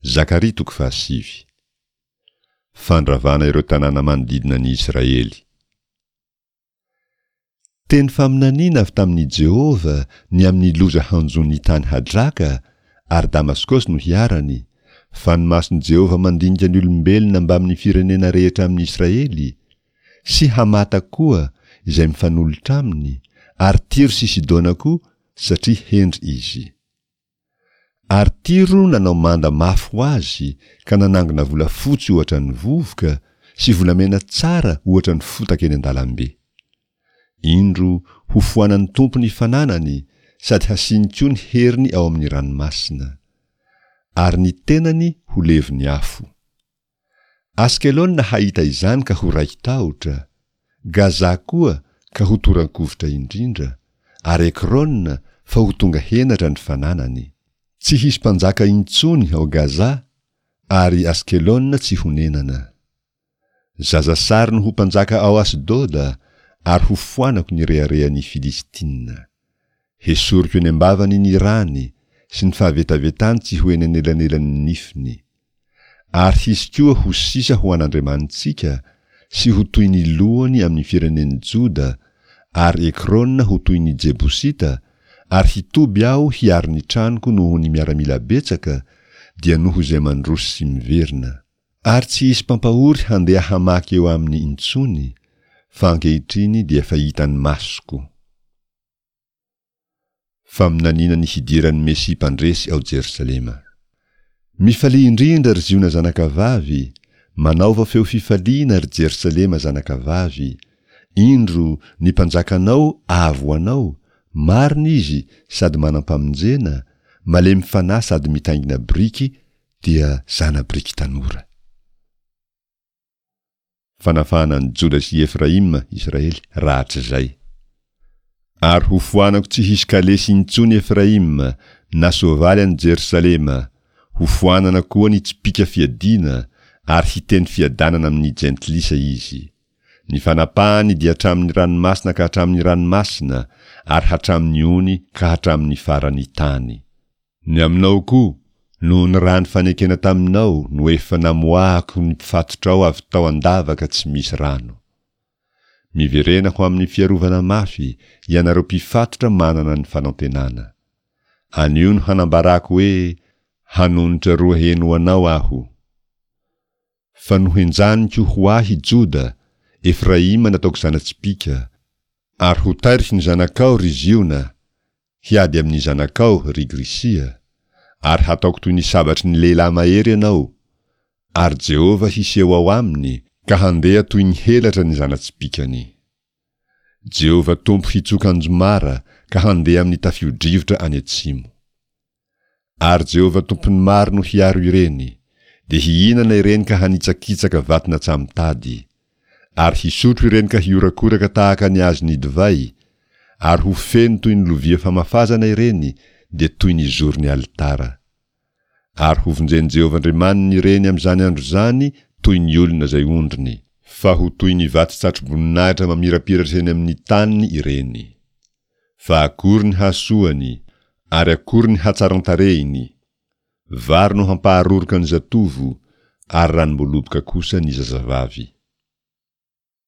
Zakaria toko fahasivy. Fandravana ireo tanàna manodidina an'i Israely. Teny faminaniana avy tamin'i Jehovah ny amin'ny loza hanjo ny tany Hadraka, ary Damaskosy no hiharany, fa ny mason'i Jehovah mandinika ny olombelona mbamin'ny firenena rehetra amin'i Israely, sy Hamata koa, izay mifanolotra aminy, ary Tyro sy Sidona koa, satria hendry izy. Ary Tyro nanao manda mafy ho azy ka nanangona volafotsy ohatra ny vovoka sy volamena tsara ohatra ny fotaka eny an-dalambe. Indro, hofoanan'ny Tompo ny fananany sady hasiany koa ny heriny ao amin'ny ranomasina. Ary ny tenany ho levon'ny afo. Askelona hahita izany ka ho raiki-tahotra, Gaza koa ka ho toran-kovitra indrindra, ary Ekrona fa ho tonga henatra ny fananany. Tsy hisy mpanjaka intsony ao Gaza, ary Askelona tsy honenana. Zazasary no ho mpanjaka ao Asdoda, ary hofoanako ny reharehan'ny Filistina. Hesoriko eny am-bavany ny rany, sy ny fahavetavetany tsy ho eny anelanelan'ny nifiny. Ary hisy koa ho sisa ho an'Andriamanitsika, sy ho toy ny lohany amin'ny firenen'i Joda, ary Ekrona ho toy ny Jebosita, ary hitoby aho hiaro ny tranoko noho ny miaramila betsaka, dia noho izay mandroso sy miverina. Ary tsy hisy mpampahory handeha hamaky eo aminy intsony, fa ankehitriny dia efa hitan'ny masoko. Faminaniana ny hidiran'ny Mesia Mpandresy ao Jerosalema. Mifalia indrindra, ry Ziona zanakavavy, manaova feo fifaliana, ry Jerosalema zanakavavy, indro, ny Mpanjakanao avy ho anao, marina Izy sady manam-pamonjena, malemy fanahy sady mitaingina biriky, dia zana-biriky tanora. Fanafahana an'i Joda sy i Efraima, Israely, rahatrizay. Ary hofoanako tsy hisy kalesy intsony Efraima, na soavaly any Jerosalema, hofoanana koa ny tsipìka fiadiana, ary hiteny fiadanana amin'ny jentilisa izy. Ny fanapahany dia hatramin'ny ranomasina ka hatramin'ny ranomasina, ary hatramin'ny ony ka hatramin'ny faran'ny tany. Ny aminao koa, noho ny rà nifanekena taminao no efa namoahako ny mpifatotrao avy tao an-davaka tsy misy rano. Miverena ho amin'ny fiarovana mafy, ianareo mpifatotra manana ny fanantenana. Anio no hanambarako hoe, Hanonitra roa heny ho anao aho. Fa nohenjaniko ho ahy Joda, Efraima nataoko zana-tsipìka, ary ho tairiko ny zanakao, ry Ziona, Hiady amin'ny zanakao, ry Grisia, ary hataoko toy ny sabatry ny lehilahy mahery ianao, ary Jehovah hiseho ao aminy, ka handeha toy ny helatra ny zana-tsipìkany. Jehovah Tompo hitsoka anjomara ka handeha amin'ny tafio-drivotra any atsimo. Ary Jehovah Tompon'ny maro no hiaro ireny, dia hihinana ireny ka hanitsakitsaka vaton'antsamotady, ary hisotro ireny ka hihorakoraka tahaka ny azon'ny divay, ary ho feno toy ny lovia famafazana ireny, dia toy ny zoron'ny alitara. Ary hovonjen'i Jehovah Andriamaniny ireny amin'izany andro izany toy ny olona izay ondriny. Fa ho toy ny vato-tsatroboninahitra mamirapiratra eny amin'ny taniny ireny. Fa akory ny hasoany, ary akory ny hatsaran-tarehiny! Vary no hampaharoroka ny zatovo, ary ranom-boaloboka kosa ny zazavavy.